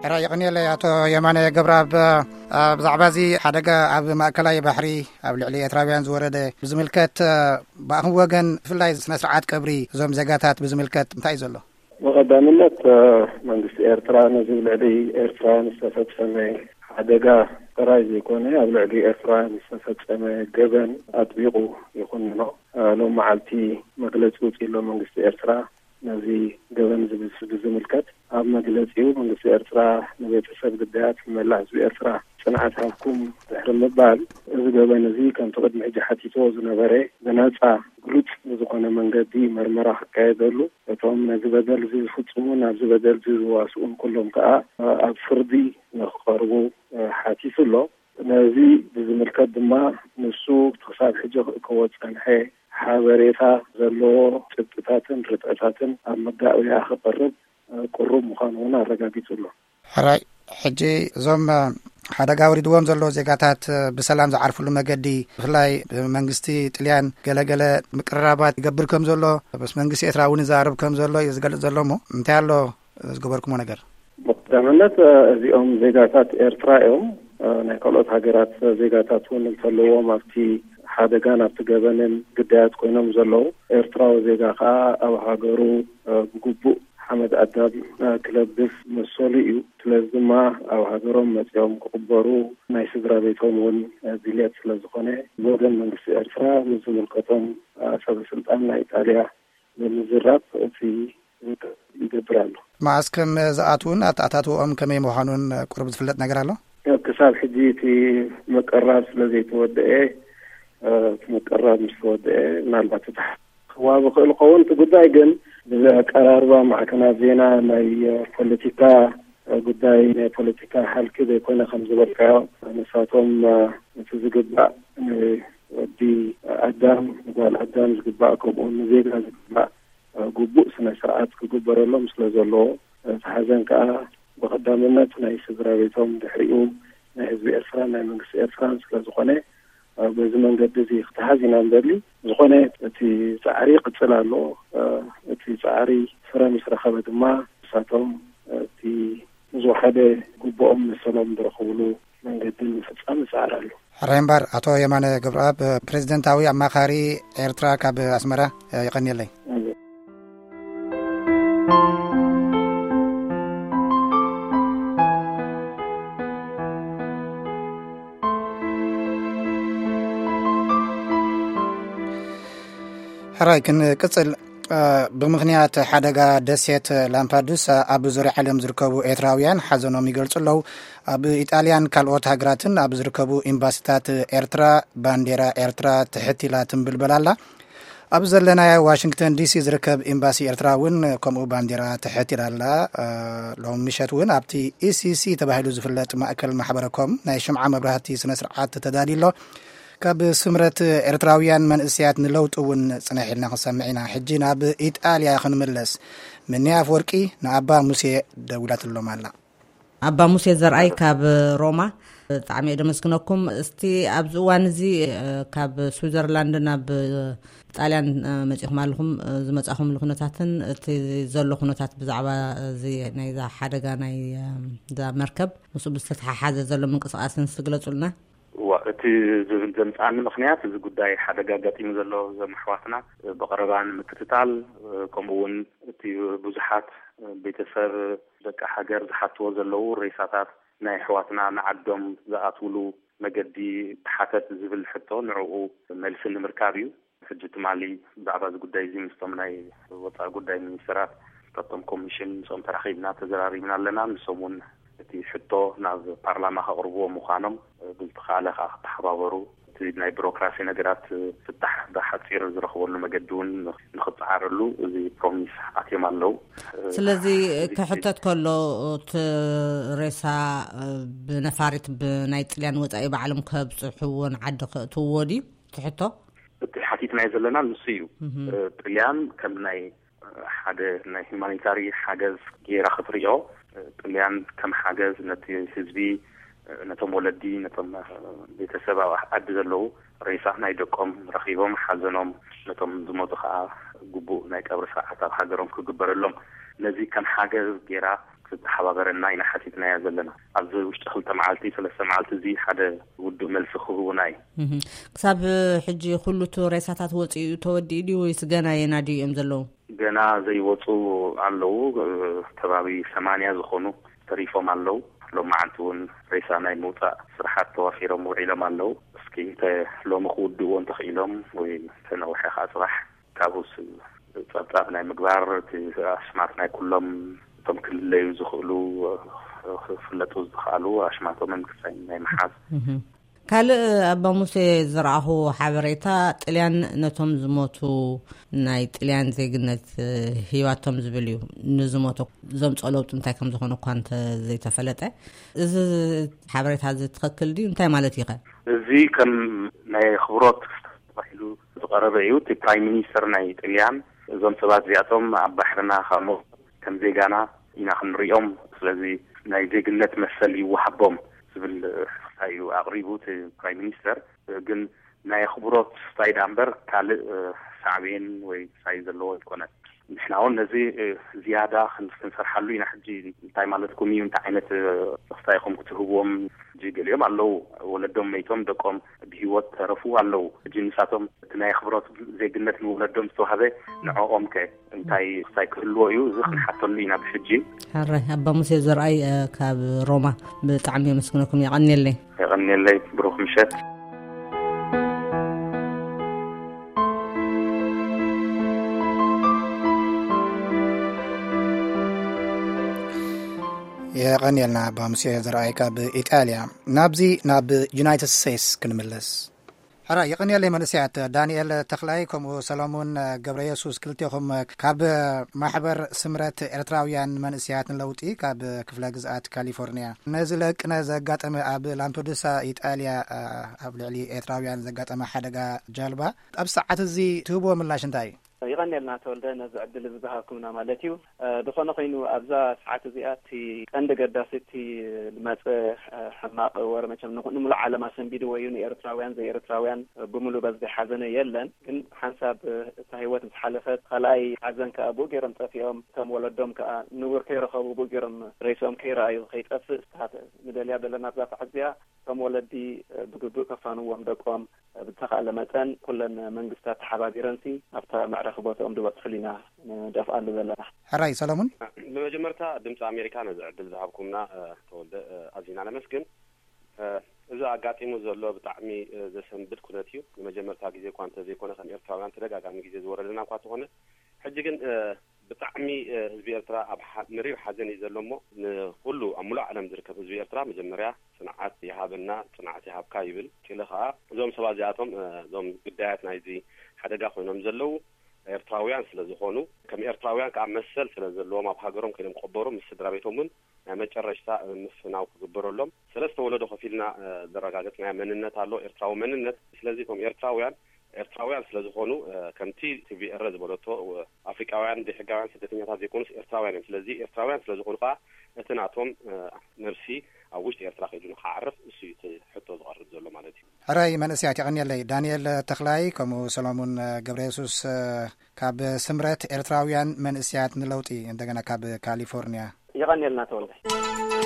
ሕራይ የቐንየለይ ኣቶ የማነ ገብረኣብ። ብዛዕባ እዚ ሓደጋ ኣብ ማእከላይ ባሕሪ ኣብ ልዕሊ ኤርትራውያን ዝወረደ ብዝምልከት፣ ብኣኹም ወገን ብፍላይ ስነ ስርዓት ቀብሪ እዞም ዜጋታት ብዝምልከት እንታይ እዩ ዘሎ? ብቐዳምነት መንግስቲ ኤርትራ ነዚ ልዕሊ ኤርትራውያን ዝተፈጸመ ሓደጋ ጥራይ ዘይኮነ ኣብ ልዕሊ ኤርትራውያን ዝተፈጸመ ገበን ኣጥቢቑ ይኹንኖ። ሎም መዓልቲ መግለጺ ውጽእ ኣሎ መንግስቲ ኤርትራ ነዚ ገበን ዝብስ ብዝምልከት ኣብ መግለጺኡ መንግስቲ ኤርትራ ንቤተሰብ ግዳያት ንመላእ ህዝቢ ኤርትራ ጽንዓት ሃብኩም ድሕሪ ምባል፣ እዚ ገበን እዚ ከምቲ ቅድሚ ሕጂ ሓቲትዎ ዝነበረ ብነጻ ግሉጽ ብዝኾነ መንገዲ መርመራ ክካየደሉ፣ እቶም ነዚ በደል እዚ ዝፍጽሙን ኣብዚ በደል እዚ ዝዋስኡን ኩሎም ከኣ ኣብ ፍርዲ ንክቐርቡ ሓቲቱ ኣሎ። ነዚ ብዝምልከት ድማ ንሱ ክሳብ ሕጂ ክእከቦ ዝጸንሐ ሓበሬታ ዘለዎ ጭብጥታትን ርትዕታትን ኣብ መጋበያ ክቐርብ ቅሩብ ምዃኑ እውን ኣረጋጊጹ ኣሎ። ሕራይ፣ ሕጂ እዞም ሓደጋ ወሪድዎም ዘሎ ዜጋታት ብሰላም ዝዓርፍሉ መገዲ፣ ብፍላይ መንግስቲ ጥልያን ገለገለ ምቅርራባት ይገብር ከም ዘሎ፣ ምስ መንግስቲ ኤርትራ እውን ይዛረብ ከም ዘሎ እዩ ዝገልጽ ዘሎ። እሞ እንታይ ኣሎ ዝገበርኩሞ ነገር? ብቀዳምነት እዚኦም ዜጋታት ኤርትራ እዮም። ናይ ካልኦት ሃገራት ዜጋታት እውን እንተለዎም ኣብቲ ሓደጋን ኣብቲ ገበንን ግዳያት ኮይኖም ዘለዉ፣ ኤርትራዊ ዜጋ ከዓ ኣብ ሃገሩ ብግቡእ ሓመድ ኣዳም ክለብስ መሰሉ እዩ። ስለዚ ድማ ኣብ ሃገሮም መጺኦም ክቕበሩ ናይ ስድራ ቤቶም እውን ድልየት ስለ ዝኾነ፣ ብወገን መንግስቲ ኤርትራ ምስ ዝምልከቶም ሰበ ስልጣን ናይ ኢጣልያ ብምዝራብ እቲ ይገብር ኣሎ። መዓስ ከም ዝኣትዉን ኣተኣታትውኦም ከመይ ምዃኑን ቁሩብ ዝፍለጥ ነገር ኣሎ? ክሳብ ሕጂ እቲ ምቅራብ ስለ ዘይተወደኤ፣ እቲ ምቅራብ ምስ ተወደኤ ምናልባት እቲ ክዋብ ይኽእል ይኸውን። እቲ ጉዳይ ግን ብኣቀራርባ ማዕከናት ዜና ናይ ፖለቲካ ጉዳይ ናይ ፖለቲካ ሓልኪ ዘይኮነ ከም ዝበልካዮ፣ ንሳቶም እቲ ዝግባእ ንወዲ ኣዳም ንጓል ኣዳም ዝግባእ ከምኡ ንዜጋ ዝግባእ ግቡእ ስነ ስርዓት ክግበረሎም ስለ ዘለዎ፣ እቲ ሓዘን ከዓ ብቐዳምነት ናይ ስድራ ቤቶም ድሕሪኡ ናይ ህዝቢ ኤርትራን ናይ መንግስቲ ኤርትራን ስለ ዝኾነ፣ በዚ መንገዲ እዚ ክትሓዝ ኢና ንደሊ። ዝኾነ እቲ ጻዕሪ ይቕጽል ኣሎ። እቲ ጻዕሪ ፍረ ምስ ረኸበ ድማ ንሳቶም እቲ ዝወሓደ ግቡኦም መሰሎም ዝረኽብሉ መንገዲ ንምፍጻም ይጽዓር ኣሎ። ሕራይ እምበር ኣቶ የማነ ገብረኣብ፣ ፕሬዚደንታዊ ኣማኻሪ ኤርትራ ካብ ኣስመራ፣ የቐንየለይ። ሕራይ ክንቅጽል። እ፣ ብምኽንያት ሓደጋ ደሴት ላምፓዱሳ ኣብ ዙርያ ዓለም ዝርከቡ ኤርትራውያን ሓዘኖም ይገልጹ ኣለዉ። ኣብ ኢጣልያን ካልኦት ሃገራትን ኣብ ዝርከቡ ኤምባሲታት ኤርትራ ባንዴራ ኤርትራ ትሕት ኢላ ትንብልበል ኣላ። ኣብ ዘለናዮ ዋሽንግተን ዲሲ ዝርከብ ኤምባሲ ኤርትራ እውን ከምኡ ባንዴራ ትሕት ኢላ ኣላ። እ፣ ሎሚ ምሸት እውን ኣብቲ ኢሲሲ ተባሂሉ ዝፍለጥ ማእከል ማሕበረ ኮም ናይ ሽምዓ መብራህቲ ስነ ስርዓት ተዳልዩ ኣሎ። ካብ ስምረት ኤርትራውያን መንእሰያት ንለውጢ እውን ጽንሕ ኢልና ክንሰምዕ ኢና። ሕጂ ናብ ኢጣልያ ክንምለስ። ምኒ ኣፍወርቂ ንኣባ ሙሴ ደዊላትሎም ኣላ። ኣባ ሙሴ ዘርኣይ ካብ ሮማ፣ ብጣዕሚ እየ ደመስግነኩም። እስቲ ኣብዚ እዋን እዚ፣ እ፣ ካብ ስዊዘርላንድ ናብ ጣልያን፣ እ፣ መጺኹም ኣለኹም። እ፣ ዝመጻኹምሉ ኩነታትን እቲ ዘሎ ኩነታት ብዛዕባ እዚ ናይዛ ሓደጋ ናይ፣ እ፣ እዛ መርከብ ምስኡ ብዝተተሓሓዘ ዘሎ ምንቅስቓስን እስቲ ግለጹልና። እዋ፣ እቲ ዝብል ዘምጽኣኒ ምኽንያት፣ እዚ ጉዳይ ሓደጋ ኣጋጢሙ ዘሎ እዞም ኣሕዋትና ብቐረባ ንምክትታል፣ ከምኡ እውን እቲ ብዙሓት ቤተሰብ ደቂ ሃገር ዝሓትዎ ዘለዉ ሬሳታት ናይ ኣሕዋትና ንዓዶም ዝኣትውሉ መገዲ ተሓተት ዝብል ሕቶ፣ ንዕኡ መልሲ ንምርካብ እዩ። ሕጂ ትማሊ ብዛዕባ እዚ ጉዳይ እዚ ምስቶም ናይ ወጻኢ ጉዳይ ሚኒስተራት፣ ምስቶም ኮሚሽን፣ ምስኦም ተራኺብና ተዘራሪብና ኣለና። ንሶም እውን እቲ ሕቶ ናብ ፓርላማ ከቕርብዎ ምዃኖም፣ ብዝተኻእለ ከኣ ክተሓባበሩ፣ እቲ ናይ ቢሮክራሲ ነገራት ፍታሕ ብሓጺር ዝረኽበሉ መገዲ እውን ንኽጸዓረሉ እዚ ፕሮሚስ ኣትዮም ኣለዉ። ስለዚ እዚ ክሕተት ከሎ፣ እቲ ሬሳ ብነፋሪት ብናይ ጥልያን ወጻኢ ባዕሎም ከብጽሕዎ ንዓዲ ከእትውዎ ድዩ? እቲ ሕቶ? እቲ ሓቲትናዮ ዘለና ንሱ እዩ። እህ። እ፣ ጥልያን ከም ናይ፣ እ፣ ሓደ ናይ ሁማኒታሪ ሓገዝ ጌራ ክትሪኦ፣ እ፣ ጥልያን ከም ሓገዝ ነቲ ህዝቢ፣ እ፣ ነቶም ወለዲ፣ ነቶም፣ እ፣ ቤተሰብ ኣብ ዓዲ ዘለዉ ሬሳ ናይ ደቆም ረኺቦም ሓዘኖም፣ ነቶም ዝሞቱ ከኣ ግቡእ ናይ ቀብሪ ስርዓት ኣብ ሃገሮም ክግበረሎም፣ ነዚ ከም ሓገዝ ጌራ ዝተሓባበረና ኢና ሓቲትናዮ ዘለና። ኣብዚ ውሽጢ ክልተ መዓልቲ፣ ሰለስተ መዓልቲ፣ እዚ ሓደ ውዱእ መልሲ ክህቡና እዩ። እህ። ክሳብ ሕጂ ኩሉ እቲ ሬሳታት ወፂኡ ተወዲኡ ድዩ ወይስ ገና የናድዩ እዮም ዘለዉ? ገና ዘይወፁ ኣለዉ። ከባቢ ሰማንያ ዝኾኑ ተሪፎም ኣለዉ። ሎም መዓልቲ እውን ሬሳ ናይ ምውፃእ ስራሓት ተዋፊሮም ውዒሎም ኣለዉ። እስኪ እንተ ሎሚ ክውድእዎ እንተኽኢሎም ወይ ተነውሐ ከዓ ፅባሕ ካብኡስ ፀብፃብ ናይ ምግባር፣ እቲ ኣስማት ናይ ኩሎም እቶም ክልለዩ ዝኽእሉ፣ ክፍለጡ ዝኽኣሉ ኣሽማቶምን ክሳይ ናይ ምሓዝ። ካልእ ኣባ ሙሴ ዝረኣኹ ሓበሬታ፣ ጥልያን ነቶም ዝሞቱ፣ ናይ ጥልያን ዜግነት ሂባቶም ዝብል እዩ። ንዝሞቱ ዘምፅኦ ለውጢ እንታይ ከም ዝኾነ እኳ እንተ ዘይተፈለጠ፣ እዚ ሓበሬታ እዚ ትኽክል ድዩ? እንታይ ማለት እዩ ኸ? እዚ ከም ናይ ኣኽብሮት ክስተ ተባሂሉ ዝቐረበ እዩ። እቲ ፕራይም ሚኒስተር ናይ ጥልያን፣ እዞም ሰባት እዚኣቶም ኣብ ባሕርና ካብ ሞ-፣ ከም ዜጋና ኢና ክንሪኦም፣ ስለዚ ናይ ዜግነት መሰል ይወሃቦም ዝብል ክስታይ እዩ ኣቕሪቡ እቲ ፕራይም ሚኒስተር። ግን ናይ ኣኽብሮት ክስታይ ደኣ እምበር ካልእ ሳዕቤን ወይ ክስታይ ዘለዎ ኣይኮነን። ንሕና እውን ነዚ ዝያዳ ክን-፣ ክንሰርሓሉ ኢና። ሕጂ እንታይ ማለትኩም እዩ? እንታይ ዓይነት ክስታይ ኢኹም ክትህብዎም? ሕጂ ገሊኦም ኣለዉ ወለዶም መይቶም ደቆም ብህይወት ተረፉ ኣለዉ። ሕጂ ንሳቶም እቲ ናይ ኣኽብሮት ዜግነት ንወለዶም ዝተዋህበ ንዕኦም ከ እንታይ ክስታይ ክህልዎ እዩ? እዚ ክንሓተሉ ኢና ብሕጂ። ሕራይ ኣባ ሙሴ ዘርኣይ፣ እ፣ ካብ ሮማ ብጣዕሚ የመስግነኩም። የቐንየለይ። የቐንየለይ። ብሩኽ ምሸት። የቐንየልና ኣባ ሙሴ ዘርኣይ ካብ ኢጣልያ። ናብዚ ናብ ዩናይትድ ስቴትስ ክንምለስ። ሕራይ የቐንየለይ መንእሰያት። ዳንኤል ተኽላይ ከምኡ ሰሎሙን ገብረ የሱስ፣ ክልቴኹም ካብ ማሕበር ስምረት ኤርትራውያን መንእሰያት ንለውጢ ካብ ክፍለ ግዝኣት ካሊፎርንያ። ነዚ ለቅነ ዘጋጠመ ኣብ ላምፔዱሳ ኢጣልያ ኣብ ልዕሊ ኤርትራውያን ዘጋጠመ ሓደጋ ጃልባ ኣብ ሰዓት እዚ ትህብዎ ምላሽ እንታይ እዩ? ይቐንየልና ተወልደ፣ ነዚ ዕድል እዚ ዝሃብኩምና ማለት እዩ። እ፣ ዝኾነ ኮይኑ ኣብዛ ሰዓት እዚኣ እቲ ቀንዲ ገዳሲ እቲ ዝመፀ፣ እ፣ ሕማቕ ወረ መቸም ንኹ-፣ ንምሉእ ዓለም ኣሰንቢድዎ እዩ። ንኤርትራውያን ዘይኤርትራውያን፣ እ፣ ብምሉእ በዚ ሓዘነ የለን። ግን ሓንሳብ፣ እ፣ እታ ህይወት ምስ ሓለፈት ካልኣይ ሓዘን ከኣ ብኡ ገይሮም ጠፊኦም። እቶም ወለዶም ከኣ ንቡር ከይረኸቡ ብኡ ገይሮም ሬስኦም ከይረኣዩ ከይጠፍእ ስታት ንደልያ ዘለና ኣብዛ ሰዓት እዚኣ እቶም ወለዲ፣ እ፣ ብግቡእ ከፋንዎም ደቆም ብዝተኻእለ መጠን ኩለን መንግስታት ተሓባቢረንሲ ኣብታ መዕረፊ ቦታኦም ዝበፅሑሉ ኢና ንደፍኣሉ ዘለና። ሕራይ ሰለሙን። ብመጀመርታ ድምፂ ኣሜሪካ ነዚ ዕድል ዝሃብኩምና፣ እ፣ ተወልደ፣ እ፣ ኣዚና ነመስግን። እ፣ እዚ ኣጋጢሙ ዘሎ ብጣዕሚ፣ እ፣ ዘሰንብድ ኩነት እዩ። ንመጀመርታ ግዜ እኳ እንተዘይኮነ ከም ኤርትራውያን ተደጋጋሚ ግዜ ዝወረደና እኳ እንተኾነ፣ ሕጂ ግን፣ እ፣ ብጣዕሚ፣ እ፣ ህዝቢ ኤርትራ ኣብ ሓ-፣ መሪር ሓዘን እዩ ዘሎ እሞ፣ ንኹሉ ኣብ ሙሉእ ዓለም ዝርከብ ህዝቢ ኤርትራ መጀመርያ ጽንዓት ይሃበና፣ ጽንዓት ይሃብካ ይብል። ቀጺለ ከኣ እዞም ሰባት እዚኣቶም፣ እ፣ እዞም ግዳያት ናይዚ ሓደጋ ኮይኖም ዘለዉ ኤርትራውያን ስለ ዝኾኑ፣ ከም ኤርትራውያን ከኣ መሰል ስለ ዘለዎም ኣብ ሃገሮም ከይዶም ክቕበሩ ምስ ስድራ ቤቶም እውን ናይ መጨረሽታ፣ እ፣ ምፍናው ክግበረሎም ሰለስተ ወለዶ ከፊልና፣ እ፣ ዘረጋገጽናዮ መንነት ኣሎ፣ ኤርትራዊ መንነት። ስለዚ እቶም ኤርትራውያን ኤርትራውያን ስለ ዝኾኑ፣ እ፣ ከምቲ ቲ ቪ ኤር ዝበለቶ፣ እ፣ ኣፍሪቃውያን ዘይሕጋውያን ስደተኛታት ዘይኮኑስ ኤርትራውያን እዮም። ስለዚ ኤርትራውያን ስለ ዝኾኑ ከኣ እቲ ናቶም፣ እ፣ ነብሲ ኣብ ውሽጢ ኤርትራ ከይዱ ንኽዓርፍ እሱ እዩ እቲ ሕቶ ዝቐርብ ዘሎ ማለት እዩ። ሕራይ መንእሰያት የቐንየለይ። ዳንኤል ተኽላይ ከምኡ ሰሎሙን ገብረ የሱስ፣ እ፣ ካብ ስምረት ኤርትራውያን መንእሰያት ንለውጢ እንደገና ካብ ካሊፎርንያ። የቐንየልና ተወልደ።